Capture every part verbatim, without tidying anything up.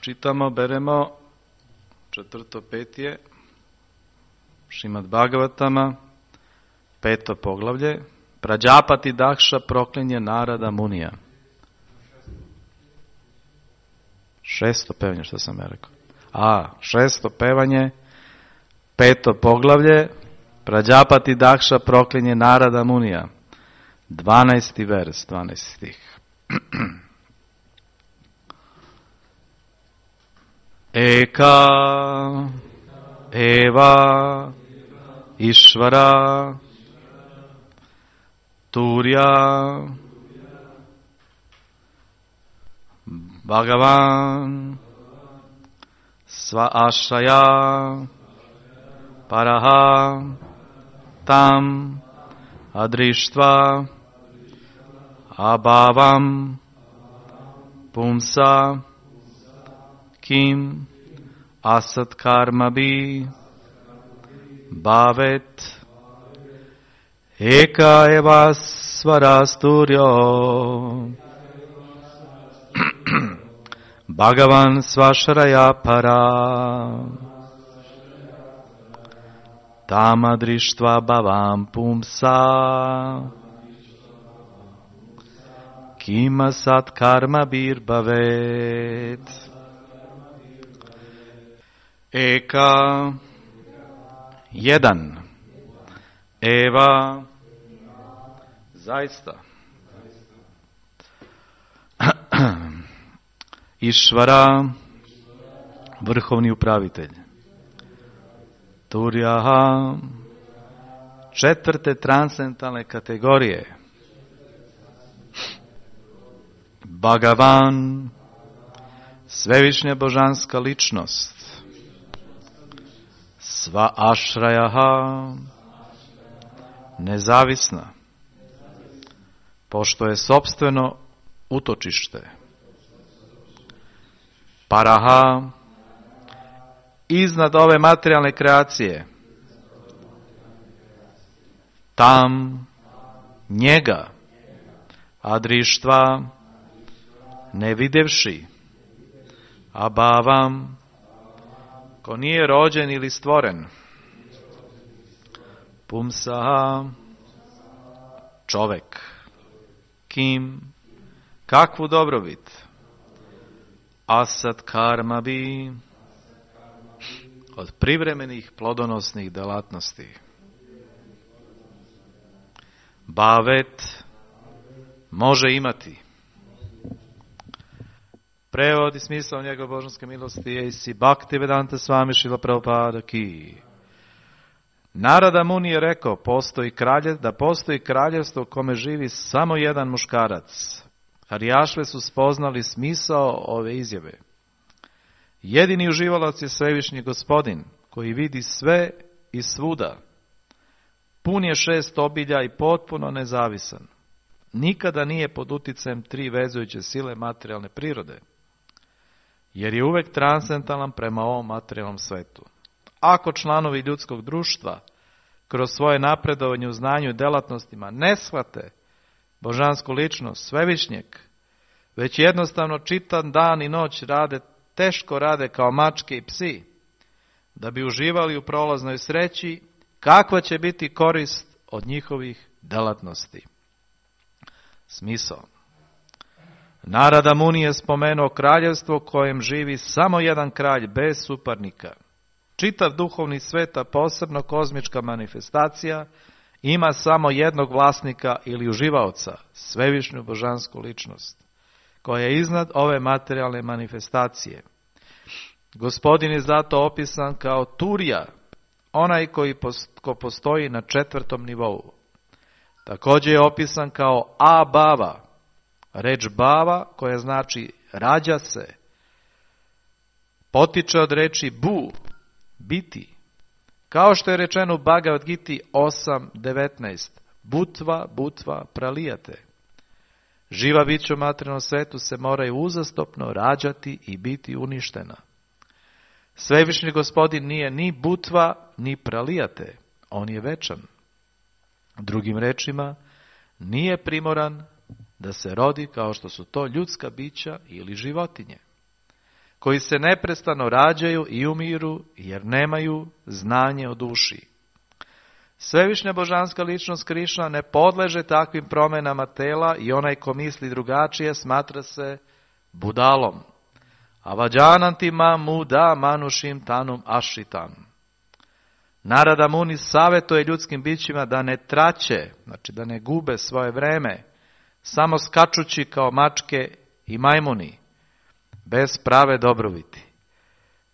Čitamo, beremo četvrto petije, Šrimad Bhagavatama, peto poglavlje, Prađapati Dakša proklinje Narada Munija. Šesto pevanje, što sam ja rekao? A, šesto pevanje, peto poglavlje, Prađapati Dakša proklinje Narada Munija. Dvanaesti vers, dvanaesti stih. Eka Eva Išvara Turja Bhagavan Sva Ašaya Paraha Tam Adrištva Abhavam Pumsa Kim Asat Karmabi Bhavet Eka Eva Svarasturyo Bhagavan Svasharaya Para Tamadrištva Bhavam Pumsa Kim Asat Karmabir Bhavet Eka jedan Eva zaista Išvara vrhovni upravitelj Turjaha četvrte transcendentalne kategorije Bhagavan svevišnja božanska ličnost Sva ašrajaha nezavisna pošto je sopstveno utočište Paraha iznad ove materijalne kreacije Tam njega Adrištva ne videvši Abhavam ko nije rođen ili stvoren Pumsaha čovek Kim kakvu dobrobit Asat karma bi od privremenih plodonosnih delatnosti Bhavet može imati. Prevod i smisao njegove božanske milosti je isi Bhaktivedanta Swami Srila Prabhupada ki. Narada Muni je rekao postoji kralje, da postoji kraljevstvo u kome živi samo jedan muškarac. Harijašve su spoznali smisao ove izjave. Jedini uživalac je svevišnji gospodin, koji vidi sve i svuda. Pun je šest obilja i potpuno nezavisan. Nikada nije pod uticajem tri vezujuće sile materijalne prirode, jer je uvek transcendentalan prema ovom materijalnom svetu. Ako članovi ljudskog društva kroz svoje napredovanje u znanju i delatnostima ne shvate božansku ličnost svevišnjeg, već jednostavno čitan dan i noć rade, teško rade kao mačke i psi, da bi uživali u prolaznoj sreći, kakva će biti korist od njihovih delatnosti? Smisao. Narada Muni je spomenuo kraljevstvo u kojem živi samo jedan kralj bez suparnika. Čitav duhovni svet, a posebno kozmička manifestacija, ima samo jednog vlasnika ili uživaoca, svevišnju božansku ličnost, koja je iznad ove materijalne manifestacije. Gospodin je zato opisan kao Turja, onaj koji ko postoji na četvrtom nivou. Također je opisan kao Abhava, reč Bhava koja znači rađa se, potiče od reči Bu, biti. Kao što je rečeno u Bhagavad Giti osam devetnaest, Butva, Butva, pralijate. Živa bića u materijalnom svetu se moraju uzastopno rađati i biti uništena. Svevišnji gospodin nije ni Butva, ni pralijate. On je večan. Drugim rečima, nije primoran da se rodi kao što su to ljudska bića ili životinje. koji se neprestano rađaju i umiru, jer nemaju znanje o duši. Svevišnja božanska ličnost Krišna ne podleže takvim promjenama tela i onaj ko misli drugačije smatra se budalom. Avađananti muda manušim tanum ašitam. Narada Muni savjetuje ljudskim bićima da ne traće, znači da ne gube svoje vreme, samo skačući kao mačke i majmuni, bez prave dobrobiti.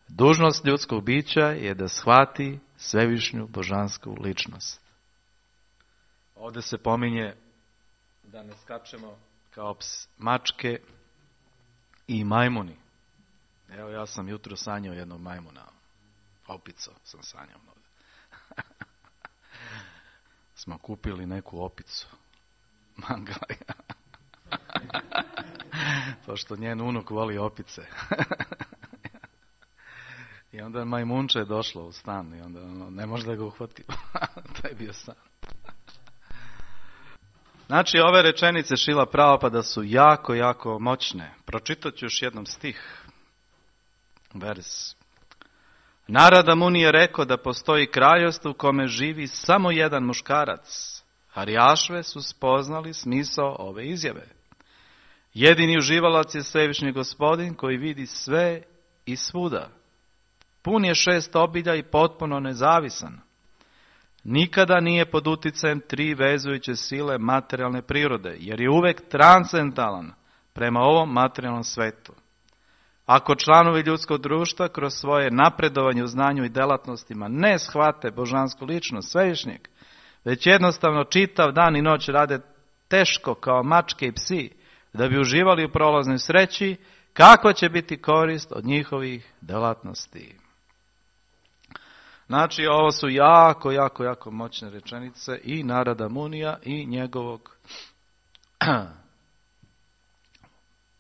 Dužnost ljudskog bića je da shvati svevišnju božansku ličnost. Ovdje se pominje da ne skačemo kao ps, mačke i majmuni. Evo, ja sam jutro sanjao jednog majmuna. Opico sam sanjao ovdje. Smo kupili neku opicu. Mangalija. Pošto njen unuk voli opice. I onda majmunče je došlo u stan i onda ono, ne može da ga uhvati. To je bio san. Znači, ove rečenice Šrila Prabhupada su jako, jako moćne. Pročitat ću još jednom stih. Vers. Narada Muni je rekao da postoji kraljevstvo u kome živi samo jedan muškarac. Harijašve su spoznali smisao ove izjave. Jedini uživalac je svevišnji gospodin koji vidi sve i svuda. Pun je šest obilja i potpuno nezavisan. Nikada nije pod uticajem tri vezujuće sile materijalne prirode, jer je uvek transcendentalan prema ovom materijalnom svetu. Ako članovi ljudskog društva kroz svoje napredovanje u znanju i delatnostima ne shvate božansku ličnost svevišnjeg, već jednostavno čitav dan i noć rade teško kao mačke i psi, da bi uživali u prolaznoj sreći, kako će biti korist od njihovih delatnosti. Znači, ovo su jako, jako, jako moćne rečenice i Narada Munija i njegovog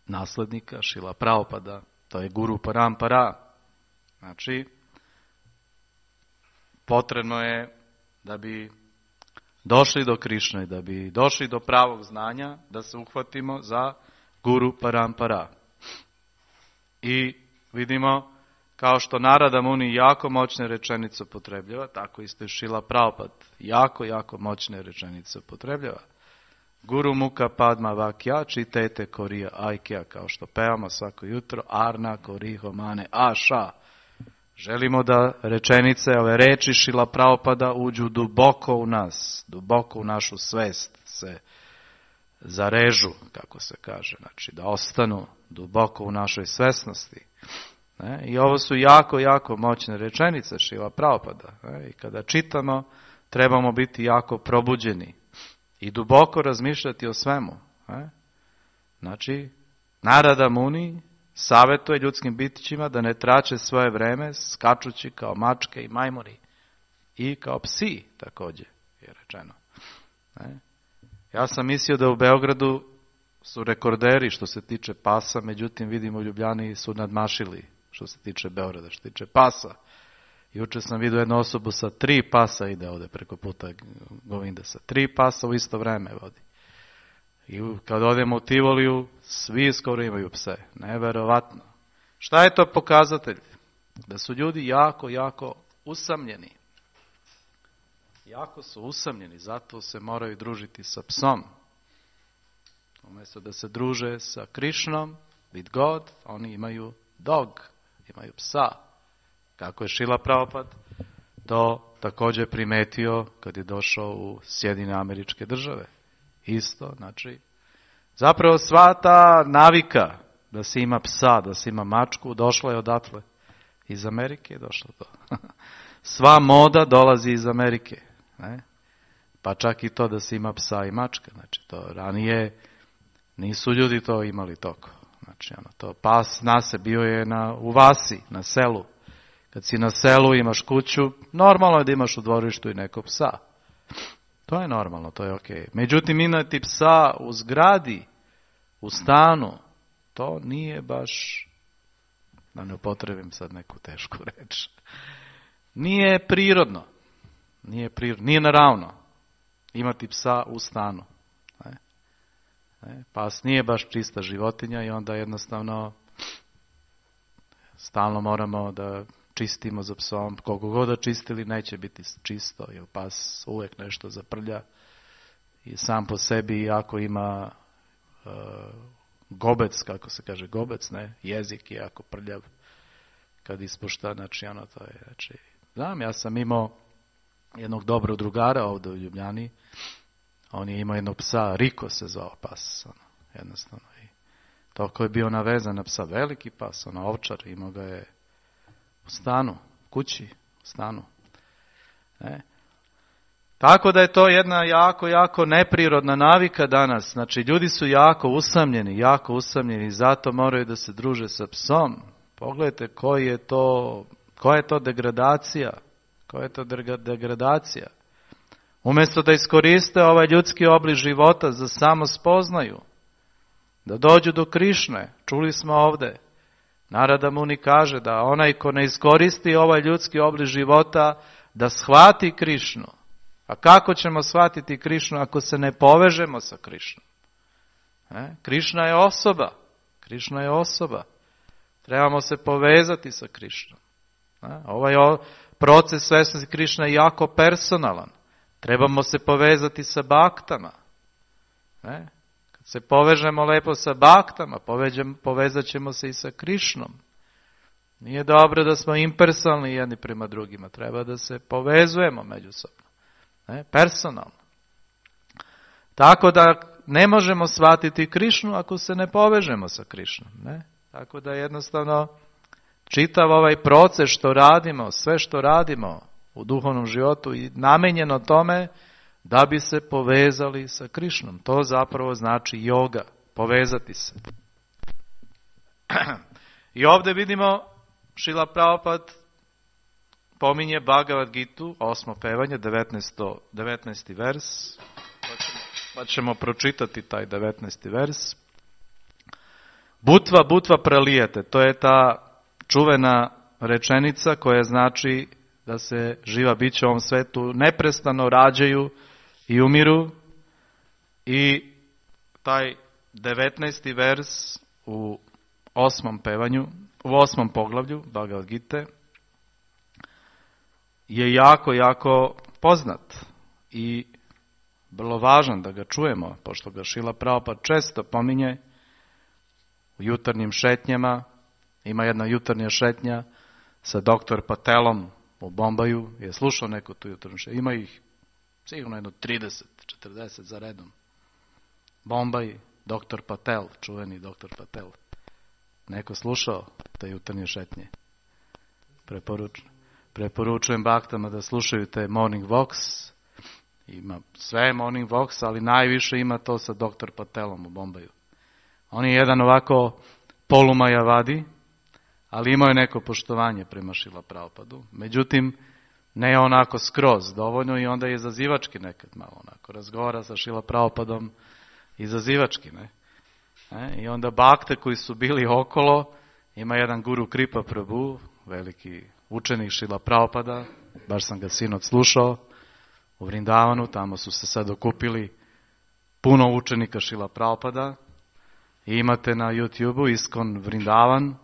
naslednika Šrila Prabhupada, to je Guru Parampara. Znači, potrebno je da bi došli do Krišne, da bi došli do pravog znanja, da se uhvatimo za Guru Parampara. I vidimo, kao što Narada Muni jako moćne rečenice upotrebljava, tako isto i Šrila Prabhupada jako, jako moćne rečenice upotrebljava. Guru Muka Padma Vakya čitete korija ajkja, kao što pevamo svako jutro, Arna koriho mane aša. Želimo da rečenice, ove reči Šrila Prabhupada uđu duboko u nas, duboko u našu svest, se zarežu, kako se kaže, znači da ostanu duboko u našoj svesnosti. Ne? I ovo su jako, jako moćne rečenice Šrila Prabhupada. Ne? I kada čitamo, trebamo biti jako probuđeni i duboko razmišljati o svemu. Ne? Znači, Narada Muni savjetuje ljudskim bitićima da ne trače svoje vreme skačući kao mačke i majmuni. I kao psi, također je rečeno. Ne? Ja sam mislio da u Beogradu su rekorderi što se tiče pasa, međutim vidimo u Ljubljani su nadmašili što se tiče Beograda, što se tiče pasa. Juče sam vidio jednu osobu sa tri pasa ide ovdje preko puta Govinda, sa tri pasa u isto vreme vodi. I kad odemo u Tivoliju, svi skoro imaju pse. Neverovatno. Šta je to pokazatelj? Da su ljudi jako, jako usamljeni. Jako su usamljeni, zato se moraju družiti sa psom. Umjesto da se druže sa Krišnom, with God, oni imaju dog, imaju psa. Kako je Šrila Prabhupada to također primetio kad je došao u Sjedinjene Američke Države. Isto, znači, zapravo sva ta navika da se ima psa, da se ima mačku, došla je odatle. Iz Amerike je došlo to. Sva moda dolazi iz Amerike. Ne? Pa čak i to da se ima psa i mačka. Znači, to ranije nisu ljudi to imali toko. Znači, ono, to pas nase bio je na, u vasi, na selu. Kad si na selu, imaš kuću, normalno je da imaš u dvorištu i nekog psa. To je normalno, to je okej. Okay. Međutim, imati psa u zgradi, u stanu, to nije baš, da ne upotrebim sad neku tešku reč, nije prirodno. Nije prirodno, nije naravno imati psa u stanu. Ne? Ne? Pas nije baš čista životinja i onda jednostavno stalno moramo da čistimo za psom, koliko god da čistili neće biti čisto, jer pas uvijek nešto zaprlja i sam po sebi, iako ima uh, gobec, kako se kaže gobec, ne, jezik je jako prljav kad ispušta, znači ono to je, znači, znam, ja sam imao jednog dobrog drugara ovdje u Ljubljani, on je imao jednog psa, Riko se zvao pas, ono, jednostavno, i toliko je bio navezan na psa, veliki pas, ono, ovčar, imao ga je u stanu, kući, u stanu. Ne? Tako da je to jedna jako, jako neprirodna navika danas. Znači, ljudi su jako usamljeni, jako usamljeni, zato moraju da se druže sa psom. Pogledajte koji je to, koja je to degradacija, koja je to degradacija. Umjesto da iskoriste ovaj ljudski oblik života za samo spoznaju, da dođu do Krišne, čuli smo ovdje, Narada Muni kaže da onaj ko ne iskoristi ovaj ljudski oblik života, da shvati Krišnu. A kako ćemo shvatiti Krišnu ako se ne povežemo sa Krišnom? E? Krišna je osoba. Krišna je osoba. Trebamo se povezati sa Krišnom. E? Ovaj proces svesnosti Krišna je jako personalan. Trebamo se povezati sa baktama. E? Kad se povežemo lepo sa baktama, povezat ćemo se i sa Krišnom. Nije dobro da smo impersonalni jedni prema drugima. Treba da se povezujemo međusobno. Ne, personalno. Tako da ne možemo shvatiti Krišnu ako se ne povežemo sa Krišnom. Ne? Tako da jednostavno čitav ovaj proces što radimo, sve što radimo u duhovnom životu i namenjeno tome da bi se povezali sa Krišnom. To zapravo znači joga, povezati se. I ovdje vidimo Šrila Prabhupada pominje Bhagavad Gitu, osmo pevanje, devetnaesti vers, pa ćemo, pa ćemo pročitati taj devetnaesti vers. Butva, butva pralijete, to je ta čuvena rečenica koja znači da se živa bića u ovom svetu neprestano rađaju i umiru, i taj devetnaesti vers u osmom pevanju, u osmom poglavlju Bhagavad Gite je jako, jako poznat i vrlo važan da ga čujemo, pošto ga Šrila Prabhupada često pominje u jutarnjim šetnjama. Ima jedna jutarnja šetnja sa doktor Patelom u Bombaju. Je slušao neku tu jutarnju šetnju? Ima ih sigurno jedno trideset četrdeset za redom. Bombaj, doktor Patel, čuveni doktor Patel. Neko slušao te jutarnje šetnje? Preporučujem. Preporučujem baktama da slušaju te Morning Walks. Ima sve Morning Walks, ali najviše ima to sa doktor Patelom u Bombaju. On je jedan ovako polumajavadi, ali imao je neko poštovanje prema Šrila Prabhupadu. Međutim, ne onako skroz dovoljno, i onda je izazivački nekad malo onako. Razgovara sa Šrila Prabhupadom izazivački, ne? E, I onda bakte koji su bili okolo, ima jedan guru Kripa Prabhu, veliki učenik Šrila Prabhupada, baš sam ga sinoć slušao u Vrindavanu, tamo su se sad okupili puno učenika Šrila Prabhupada, i imate na YouTubeu Iskon Vrindavan,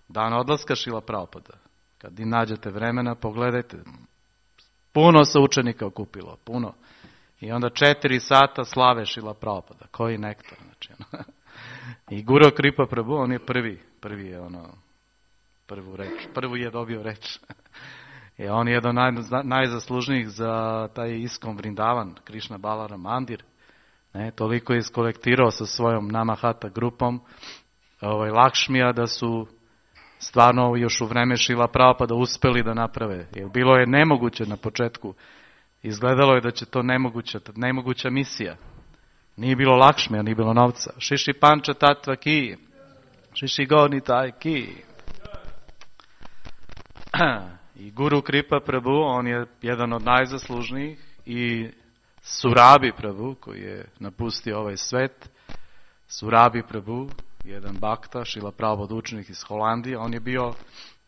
dan odlaska Šrila Prabhupada. Kad i nađete vremena, pogledajte, puno se učenika okupilo, puno. I onda četiri sata slave Šrila Prabhupada, koji nektar, znači. I Guru Kripa Prabhu, on je prvi, prvi je ono, prvu reč, prvu je dobio reč. I on je jedan naj, najzaslužnijih za taj Iskon Vrindavan, Krishna Balaram Mandir. Ne, toliko je iskolektirao sa svojom Namahata grupom ovaj, Lakšmija, da su stvarno još u vreme Šrila Prabhupada uspeli da naprave. Jer bilo je nemoguće na početku. Izgledalo je da će to nemoguća, nemoguća misija. Nije bilo Lakšmija, nije bilo novca. Šiši Panča Tatva Ki. Šiši Gorni Taj Ki. I Guru Kripa Prabhu, on je jedan od najzaslužnijih, i Surabi Prabhu, koji je napustio ovaj svet. Surabi Prabhu, jedan bakta, Šrila Prabhupada učenik iz Holandije, on je bio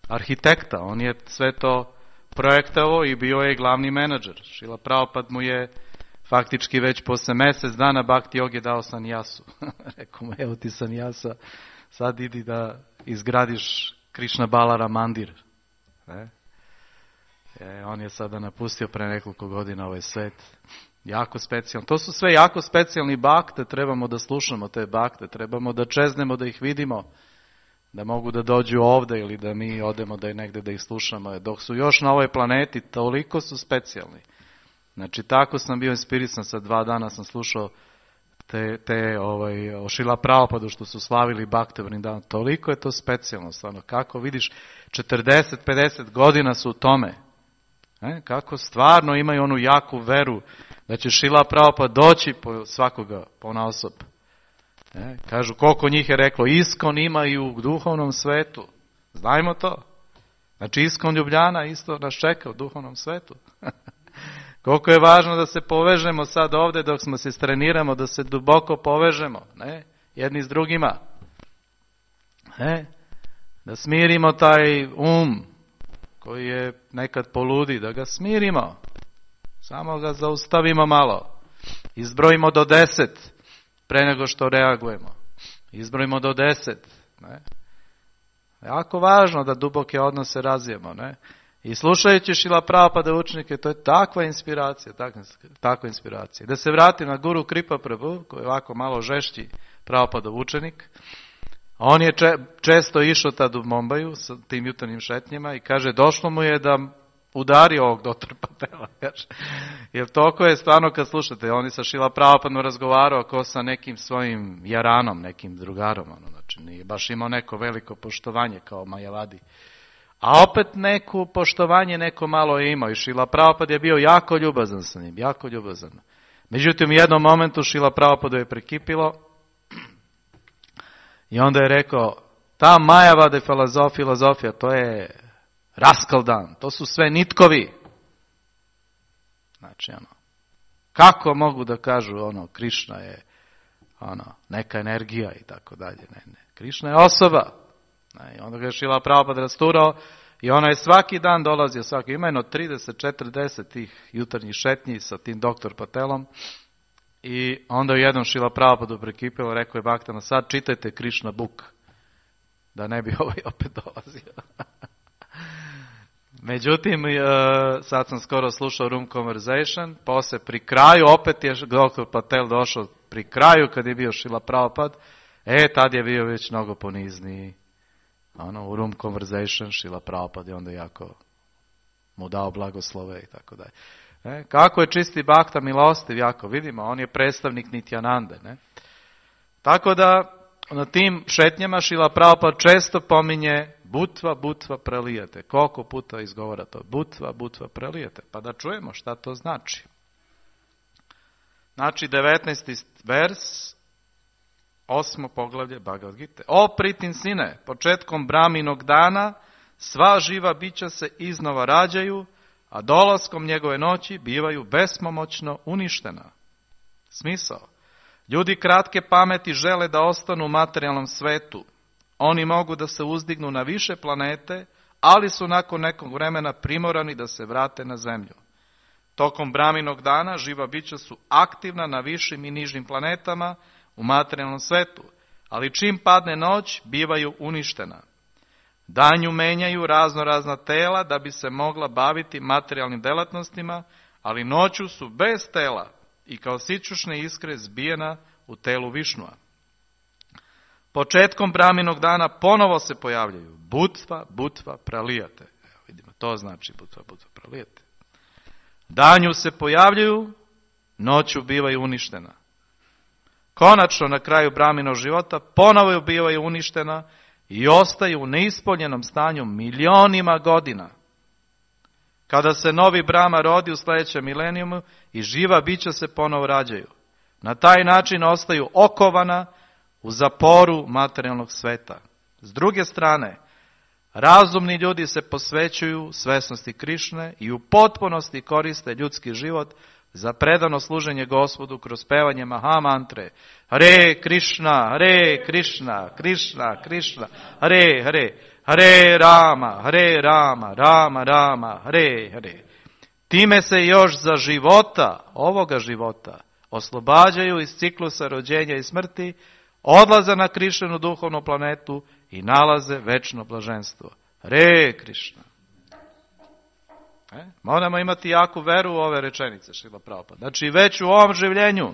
arhitekta, on je sve to projektao i bio je glavni menadžer. Šrila Prabhupada mu je faktički već posle mjesec dana Bhakti Yogi dao sanjasu. Rekao mu, evo ti sanjasa, sad idi da izgradiš Krishna Balara Mandir. Ne? E, on je sada napustio pre nekoliko godina ovaj svet. Jako specijalno. To su sve jako specijalni bakte, trebamo da slušamo te bakte, trebamo da čeznemo, da ih vidimo, da mogu da dođu ovde ili da mi odemo da je negde da ih slušamo. Dok su još na ovoj planeti, toliko su specijalni. Znači, tako sam bio inspirisan, sa dva dana sam slušao te, te ovaj, o Šrila Prabhupadu što su slavili Bhakti Vrindavan. Toliko je to specijalno, stvarno. Kako vidiš, četrdeset pedeset godina su u tome. E, kako stvarno imaju onu jaku veru da će Šrila Prabhupada doći po svakoga, ponaosob. E, kažu, koliko njih je reklo, Iskon ima i u duhovnom svetu. Znajmo to. Znači, Iskon Ljubljana isto nas čeka u duhovnom svetu. Koliko je važno da se povežemo sad ovde dok smo se streniramo, da se duboko povežemo, ne? Jedni s drugima. Ne? Da smirimo taj um koji je nekad poludi, da ga smirimo. Samo ga zaustavimo malo. Izbrojimo do deset pre nego što reagujemo. Izbrojimo do deset. Ne? Jako važno da duboke odnose razvijemo, ne? I slušajući Šrila Prabhupada učenike, to je takva inspiracija, takva, takva inspiracija. Da se vratim na Guru Kripa Prabhu, koji je ovako malo žešći Prabhupadov učenik. On je če, često išao tad u Bombaju sa tim jutarnjim šetnjima i kaže, došlo mu je da udari ovog doktora Patela. Jer toliko je stvarno kad slušate, on je sa Šrila Prabhupadom razgovarao ko sa nekim svojim jaranom, nekim drugarom. Ono, znači, nije baš imao neko veliko poštovanje kao Majavadi. A opet neko poštovanje neko malo je imao i Šrila Prabhupada je bio jako ljubazan sa njim, jako ljubazan. Međutim, u jednom momentu Šrila Prabhupada je prekipilo i onda je rekao, ta Majavada filozofija, to je raskaldan, to su sve nitkovi. Znači, ono, kako mogu da kažu, ono, Krišna je, ono, neka energija i tako dalje, ne, ne, Krišna je osoba. I onda ga je Šrila Prabhupada rasturao i ona je svaki dan dolazio, svaki, ima jedno trideset četrdeset tih jutarnjih šetnji sa tim doktor Patelom i onda je jednom Šrila Prabhupada prekipilo, rekao je baktama, sad čitajte Krishna book, da ne bi ovaj opet dolazio. Međutim, sad sam skoro slušao Room Conversation, posle pri kraju, opet je doktor Patel došao pri kraju kad je bio Šrila Prabhupada, e, tad je bio već mnogo ponizniji. Ono, u Room Conversation, Šrila Prabhupada je onda jako mu dao blagoslove i tako dalje. E, kako je čisti bakta milostiv, jako vidimo, on je predstavnik Nityanande. Ne? Tako da, na tim šetnjama Šrila Prabhupada često pominje butva, butva prelijete. Koliko puta izgovara to? Butva, butva prelijete. Pa da čujemo šta to znači. Znači, devetnaesti vers, osmo poglavlje Bhagavad Gite. O pritin sine, početkom Brahminog dana, sva živa bića se iznova rađaju, a dolaskom njegove noći bivaju bespomoćno uništena. Smisao. Ljudi kratke pameti žele da ostanu u materijalnom svetu. Oni mogu da se uzdignu na više planete, ali su nakon nekog vremena primorani da se vrate na zemlju. Tokom Brahminog dana živa bića su aktivna na višim i nižim planetama u materijalnom svetu, ali čim padne noć, bivaju uništena. Danju menjaju razno razna tela da bi se mogla baviti materijalnim delatnostima, ali noću su bez tela i kao sićušne iskre zbijena u telu Višnua. Početkom Brahminog dana ponovo se pojavljaju butva, butva, pralijate. Evo vidimo, to znači butva, butva, pralijate. Danju se pojavljaju, noću bivaju uništena. Konačno na kraju Brahminog života ponovo bivaju uništena i ostaju u neispolnjenom stanju milionima godina. Kada se novi Brahma rodi u sljedećem milenijumu i živa bića se ponovo rađaju. Na taj način ostaju okovana u zaporu materijalnog sveta. S druge strane, razumni ljudi se posvećuju svesnosti Krišne i u potpunosti koriste ljudski život za predano služenje Gospodu kroz pevanje Mahamantre. Hare Krišna, Hare Krišna, Krišna, Krišna, Hare Hare, Hare Rama, Hare Rama, Rama Rama, Hare Hare. Time se još za života, ovoga života, oslobađaju iz ciklusa rođenja i smrti, odlaze na Krišnu duhovnu planetu i nalaze večno blaženstvo. Hare Krišna. E? Moramo imati jaku veru u ove rečenice, Šrila Prabhupada. Znači već u ovom življenju.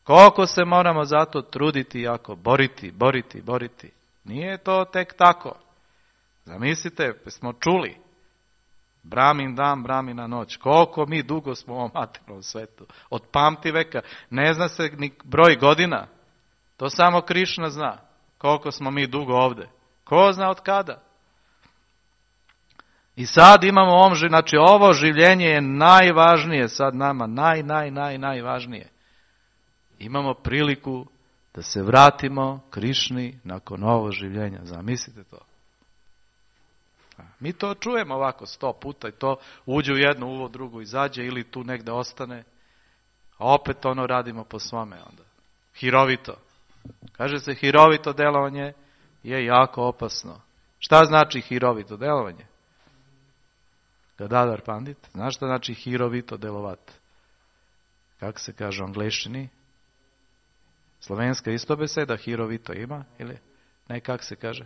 Koliko se moramo zato truditi jako, boriti, boriti, boriti. Nije to tek tako. Zamislite, smo čuli. Bramin dan, bramina noć. Koliko mi dugo smo u ovom materijalnom svetu. Od pamti veka. Ne zna se ni broj godina. To samo Krišna zna. Koliko smo mi dugo ovde. Ko zna od kada? I sad imamo ovom, znači ovo življenje je najvažnije sad nama. Naj, naj, naj, najvažnije. Imamo priliku da se vratimo Krišni nakon ovog življenja. Zamislite to. Mi to čujemo ovako sto puta i to uđe u jedno uvo, drugo izađe ili tu negde ostane. A opet ono radimo po svome onda. Hirovito. Kaže se hirovito delovanje je jako opasno. Šta znači hirovito delovanje? Gadadhar Pandit, znaš šta znači hirovito delovat? Kako se kaže u angleščini? Slovenska isto beseda, hirovito ima? Ili ne, kako se kaže?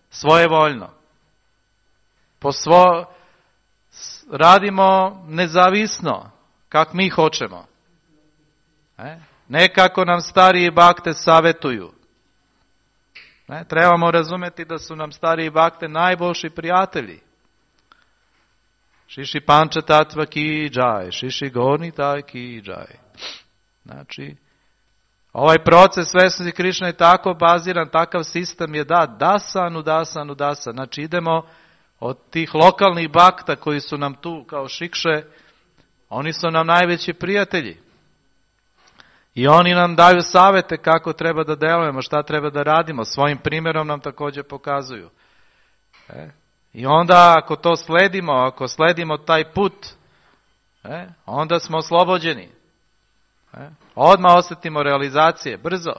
Svojevoljno. Po svo, radimo nezavisno, kak mi hoćemo. E? Ne kako nam stariji bakte savjetuju. Ne? Trebamo razumjeti da su nam stariji bakte najboljši prijatelji. Šiši panča tatva ki džaj, šiši gorni taj ki džaj. Znači, ovaj proces svesnosti Krišne je tako baziran, takav sistem je da, dasan, udasan, udasan. Znači, idemo od tih lokalnih bakta koji su nam tu kao šikše, oni su nam najveći prijatelji. I oni nam daju savjete kako treba da delujemo, šta treba da radimo. Svojim primjerom nam također pokazuju. E? I onda ako to sledimo, ako sledimo taj put, e? onda smo oslobođeni. E? Odmah osjetimo realizacije, brzo.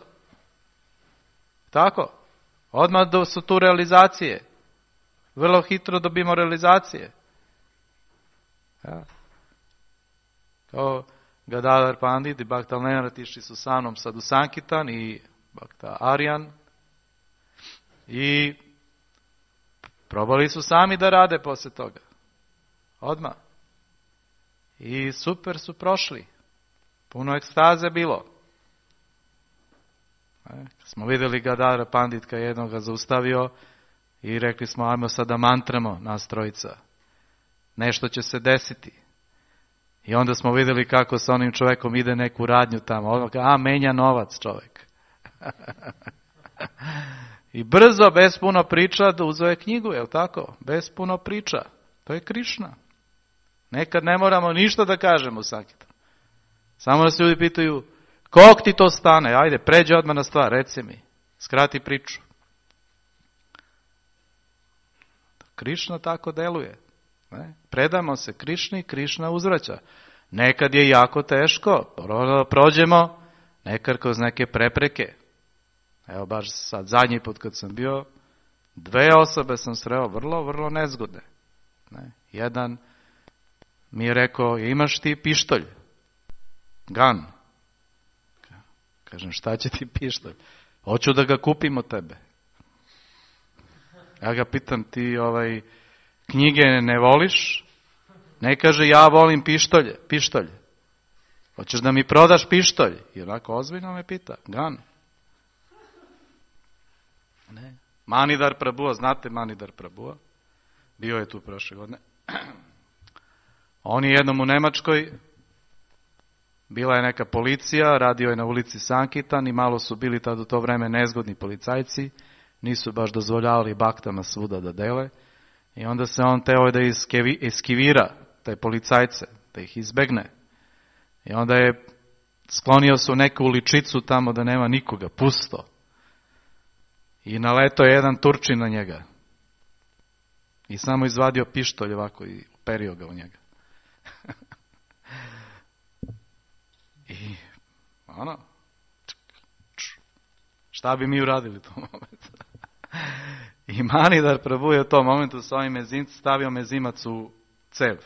Tako? Odmah su tu realizacije. Vrlo hitro dobimo realizacije. Ja. Kao Gadadhar Pandit i Bhakta Lenart išli su sa mnom sad u Sankitan i Bhakta Arjan i probali su sami da rade poslije toga. Odmah. I super su prošli. Puno ekstaze bilo. E, smo vidjeli Gadadhara Pandit kad jednog ga zaustavio i rekli smo, ajmo sada mantramo nas trojica. Nešto će se desiti. I onda smo vidjeli kako sa onim čovjekom ide neku radnju tamo. Odmah, a, menja novac čovjek. I brzo, bez puno priča, uzeo je knjigu, je li tako? Bez puno priča. To je Krišna. Nekad ne moramo ništa da kažemo u Sankirtanu. Samo da se ljudi pitaju, kog ti to stane? Ajde, pređi odmah na stvar, reci mi. Skrati priču. Krišna tako deluje. Ne? Predamo se Krišni, Krišna uzvraća. Nekad je jako teško, prođemo, nekad kroz neke prepreke. Evo baš sad zadnji put kad sam bio, dve osobe sam sreo vrlo, vrlo nezgodne. Ne? Jedan mi je rekao, imaš ti pištolj? Gun. Kažem, šta će ti pištolj? Hoću da ga kupim od tebe. Ja ga pitam, ti ovaj knjige ne voliš? Ne kaže, ja volim pištolje, pištolj. Hoćeš da mi prodaš pištolj? I onako ozbiljno me pita, gun. Ne. Manidhar Prabhu, znate Manidhar Prabhu? Bio je tu prošle godine. On je jednom u Nemačkoj, bila je neka policija, radio je na ulici Sankitan i malo su bili tad u to vreme nezgodni policajci, nisu baš dozvoljavali baktama svuda da dele. I onda se on teo da eskivira te policajce, da ih izbegne. I onda je sklonio se u neku uličicu tamo da nema nikoga, pusto. I naletao je jedan Turčin na njega. I samo izvadio pištolj ovako i perio ga u njega. I ono, šta bi mi uradili u tom momentu? I Manidhar Prabhu je u tom momentu s ovim mezimcem stavio mezimac u cev.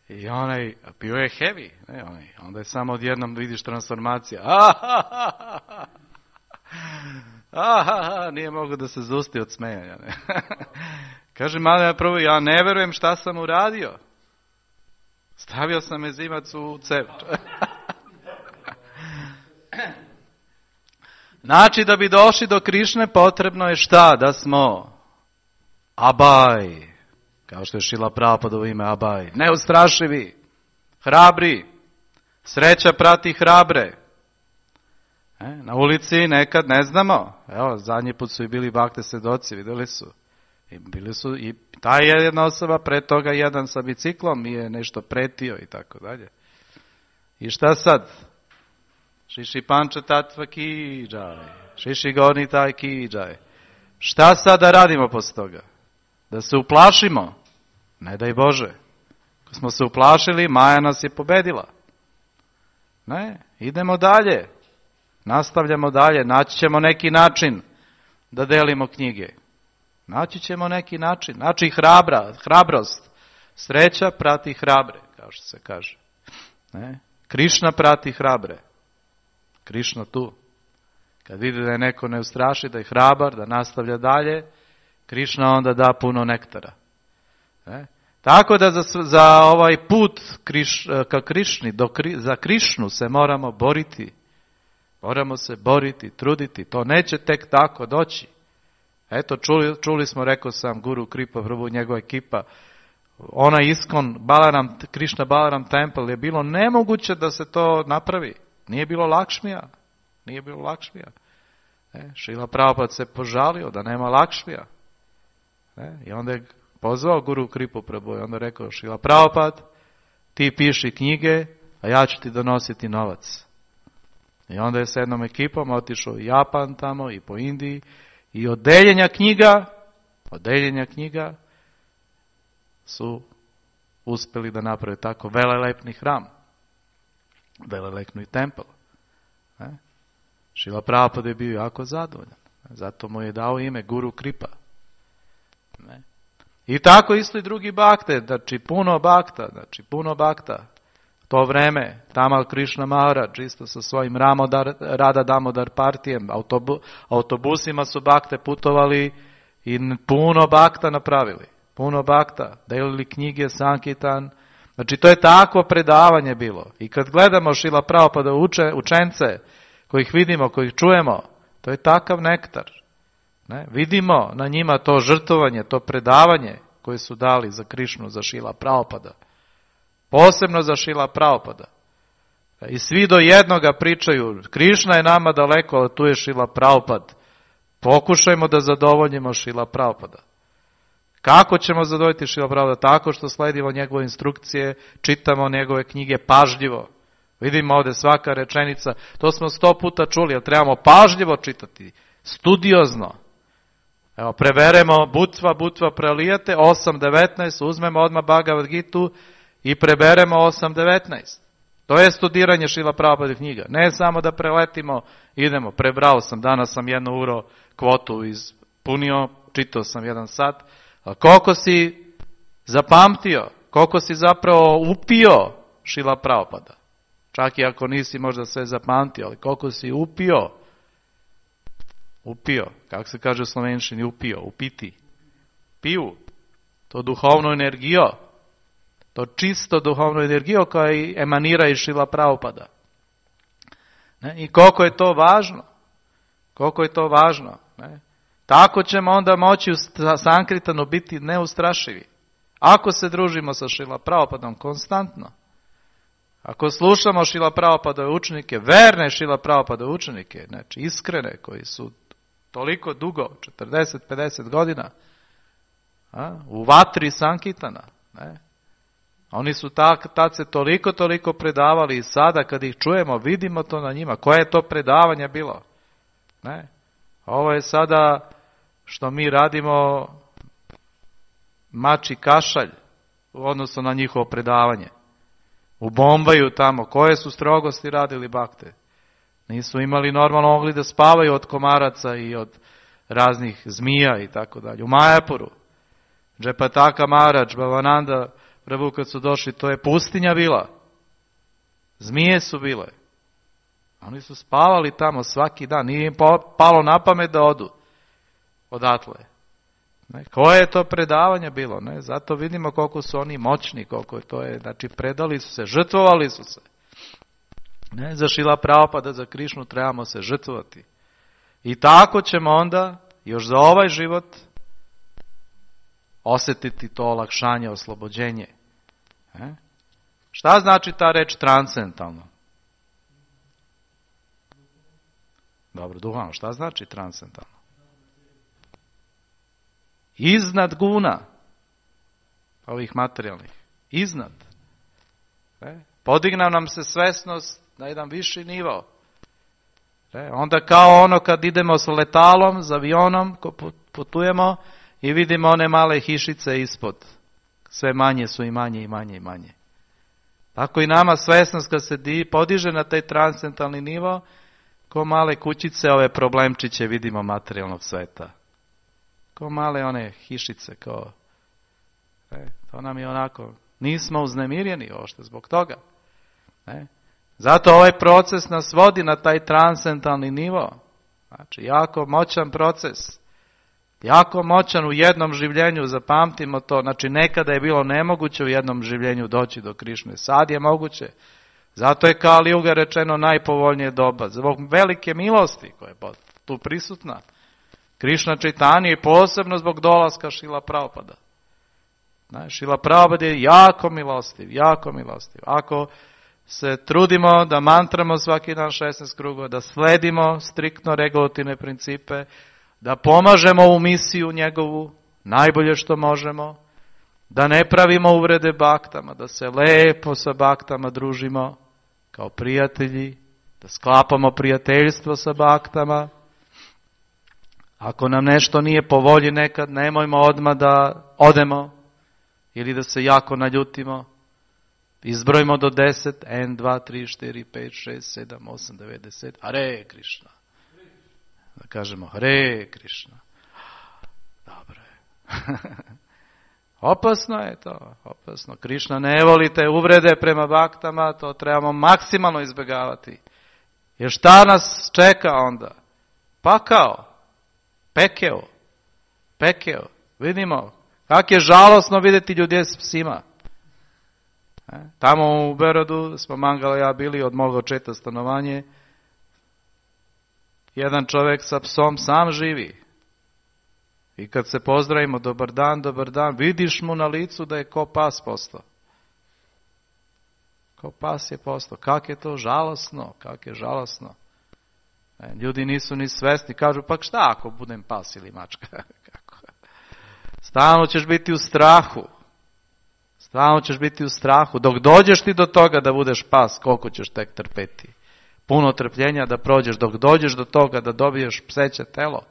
I I onaj, bio je heavy, ne, onaj, onda je samo odjednom vidiš transformacija. Ahahaha, ahaha, nije mogu da se zusti od smejanja. Ne. Kaže, malo prvo, ja ne verujem šta sam uradio. Stavio sam mezimac u cev. Znači, da bi došli do Krišne, potrebno je šta? Da smo abaj, kao što je Šrila Prabhupada ime abaj, neustrašivi, hrabri, sreća prati hrabre. E, na ulici nekad ne znamo. Evo, zadnji put su i bili bakte svedoci, vidjeli su. I bili su i ta jedna osoba, pre toga jedan sa biciklom mi je nešto pretio i tako dalje. I šta sad? Šiši panča tatva kiđaj, šiši gorni taj kiđaj. Šta sad da radimo posle toga? Da se uplašimo? Ne daj Bože. Ako smo se uplašili, Maja nas je pobedila. Ne, idemo dalje. Nastavljamo dalje, naći ćemo neki način da delimo knjige. Naći ćemo neki način. Znači hrabra, hrabrost. Sreća prati hrabre, kao što se kaže. Ne? Krišna prati hrabre. Krišna tu. Kad vidi da je neko ne ustraši, da je hrabar, da nastavlja dalje, Krišna onda da puno nektara. Ne? Tako da za, za ovaj put kriš, ka Krišni, do, za Krišnu se moramo boriti. Moramo se boriti, truditi. To neće tek tako doći. Eto, čuli, čuli smo, rekao sam, Guru Kripa Prabhu, njegova ekipa, ona Iskon, Balaram, Krišna Balaram Temple, je bilo nemoguće da se to napravi. Nije bilo Lakšmija. Nije bilo Lakšmija. E, Šrila Prabhupada se požalio da nema Lakšmija. E, I onda je pozvao Guru Kripu Prabhu i onda rekao, Šrila Prabhupada, ti piši knjige, a ja ću ti donositi novac. I onda je s jednom ekipom otišao u Japan tamo i po Indiji i od deljenja knjiga, od deljenja knjiga su uspeli da naprave tako velelepni hram, velelepni tempel. E? Šrila Prabhupada je bio jako zadovoljan. Zato mu je dao ime Guru Kripa. Ne? I tako isto i drugi bakte, znači puno bakta, znači puno bakta. To vreme, Tamal Krishna Maharaj, isto sa svojim Ramodar, Rada Damodar partijem, autobu, autobusima su bakte putovali i puno bakta napravili. Puno bakta, delili knjige, Sankitan. Znači to je takvo predavanje bilo. I kad gledamo Šrila Prabhupada uče, učence, kojih vidimo, kojih čujemo, to je takav nektar. Ne? Vidimo na njima to žrtvovanje, to predavanje koje su dali za Krišnu, za Šrila Prabhupada. Posebno za Šrila Prabhupada. I svi do jednoga pričaju, Krišna je nama daleko, ali tu je Šrila Prabhupada. Pokušajmo da zadovoljimo Šrila Prabhupada. Kako ćemo zadovoljiti Šrila Prabhupada? Tako što sledimo njegove instrukcije, čitamo njegove knjige pažljivo. Vidimo ovdje svaka rečenica, to smo sto puta čuli, ali trebamo pažljivo čitati, studiozno. Evo, preberemo Butva, Butva prelijate, osam devetnaest, uzmemo odmah Bhagavad Gitu i preberemo osam devetnaest. To je studiranje Šrila Prabhupada knjiga. Ne samo da preletimo, idemo, prebrao sam, danas sam jednu uro kvotu ispunio, čitao sam jedan sat. A koliko si zapamtio, koliko si zapravo upio Šrila Prabhupada? Čak i ako nisi možda sve zapamtio, ali koliko si upio, upio, kako se kaže u slovenščini, upio, upiti, piju, to duhovno energijo, to čisto duhovno energijo koja emanira iz Šrila Prabhupada. Ne? I koliko je to važno, koliko je to važno. Ne? Tako ćemo onda moći u Sankritanu biti neustrašivi. Ako se družimo sa Šrila Prabhupadom konstantno, ako slušamo Šrila Prabhupadove učenike, verne Šrila Prabhupadove učenike, znači iskrene, koji su toliko dugo, četrdeset pedeset godina, a, u vatri Sankitana, ne? Oni su tak, tad se toliko, toliko predavali i sada kad ih čujemo, vidimo to na njima. Koje je to predavanje bilo? Ne? Ovo je sada što mi radimo mači kašalj u odnosu na njihovo predavanje. U Bombaju tamo, koje su strogosti radili bakte? Nisu imali normalno mogli da spavaju od komaraca i od raznih zmija i tako dalje. U Majapuru, Džepataka Maharaj, Bhavananda Prvu kad su došli, to je pustinja bila. Zmije su bile. Oni su spavali tamo svaki dan. Nije im palo na pamet da odu odatle. Ne, koje je to predavanje bilo? Ne? Zato vidimo koliko su oni moćni, koliko to je. Znači, predali su se, žrtvovali su se. Ne, za Šrila Prabhupada, za Krišnu trebamo se žrtvovati. I tako ćemo onda, još za ovaj život, osjetiti to olakšanje, oslobođenje. Ne? Šta znači ta reč transcendentalno? Dobro, duhovno, šta znači transcendentalno? Iznad guna ovih materijalnih. Iznad. E? Podigna nam se svesnost na jedan viši nivo. E? Onda kao ono kad idemo s letalom, s avionom, ko putujemo i vidimo one male hišice ispod. Sve manje su i manje i manje i manje. Tako i nama svesnost kad se di, podiže na taj transcendentalni nivo, ko male kućice, ove problemčiće vidimo materijalnog sveta. Ko male one hišice, kao, e, to nam je onako, nismo uznemirjeni ošte zbog toga. E. Zato ovaj proces nas vodi na taj transcendentalni nivo. Znači, jako moćan proces. Jako moćan u jednom življenju, zapamtimo to. Znači, nekada je bilo nemoguće u jednom življenju doći do Krišne. Sad je moguće. Zato je Kali Juga rečeno najpovoljnije doba. Zbog velike milosti koja je tu prisutna. Krišna Čajtanja i posebno zbog dolaska Šrila Prabhupada. Šrila Prabhupada je jako milostiv, jako milostiv. Ako se trudimo da mantramo svaki dan šesnaest krugova, da sledimo striktno regulativne principe, da pomažemo u misiju njegovu, najbolje što možemo, da ne pravimo uvrede baktama, da se lepo sa baktama družimo kao prijatelji, da sklapamo prijateljstvo sa baktama. Ako nam nešto nije po volji nekad, nemojmo odmah da odemo ili da se jako naljutimo. Izbrojimo do deset, jedan, dva, tri, četiri, pet, šest, sedam, osam, devet, deset. Hare Krišna. Da kažemo Hare Krišna. Dobro je. Opasno je to, opasno. Krišna ne volite uvrede prema baktama, to trebamo maksimalno izbjegavati. Jer šta nas čeka onda? Pakao. Pekeo. Pekeo. Vidimo, kak je žalosno vidjeti ljude s psima. E? Tamo u Berodu smo Mangala i ja bili od moga očeta stanovanje. Jedan čovjek sa psom sam živi. I kad se pozdravimo, dobar dan, dobar dan, vidiš mu na licu da je ko pas postao. Ko pas je postao. Kak je to žalosno, kak je žalosno. E, ljudi nisu ni svesni, kažu, pa šta ako budem pas ili mačka? Kako? Stalno ćeš biti u strahu. Stalno ćeš biti u strahu. Dok dođeš ti do toga da budeš pas, koliko ćeš tek trpeti? Puno trpljenja da prođeš, dok dođeš do toga da dobiješ pseće telo.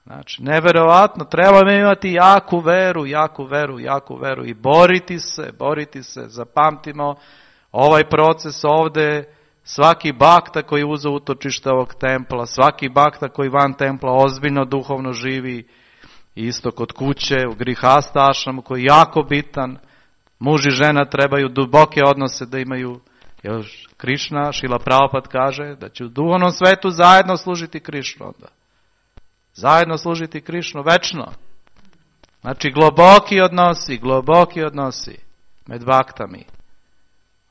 Znači, neverovatno, trebamo imati jaku veru, jaku veru, jaku veru i boriti se, boriti se, zapamtimo ovaj proces ovdje, svaki bakta koji uze utočište ovog templa, svaki bakta koji van templa ozbiljno duhovno živi, isto kod kuće, u grihasta ašramu koji je jako bitan, muž i žena trebaju duboke odnose da imaju, jer Krišna, Šrila Prabhupada kaže da će u duhovnom svetu zajedno služiti Krišnu onda. Zajedno služiti Krišnu večno. Znači globoki odnosi, globoki odnosi med baktami.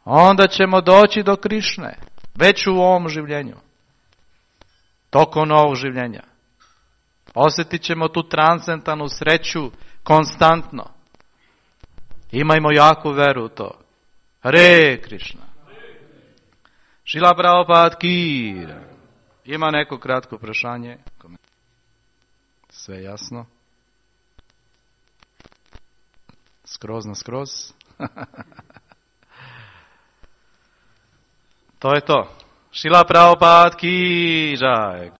Onda ćemo doći do Krišne, već u ovom življenju. Tokom ovog življenja. Osjetit ćemo tu transcendentalnu sreću konstantno. Imajmo jaku veru u to. Hare Krišna. Šrila Prabhupada ki. Ima neko kratko prašanje? Sve jasno? Skroz na skroz? To je to. Šrila Prabhupada ki jai.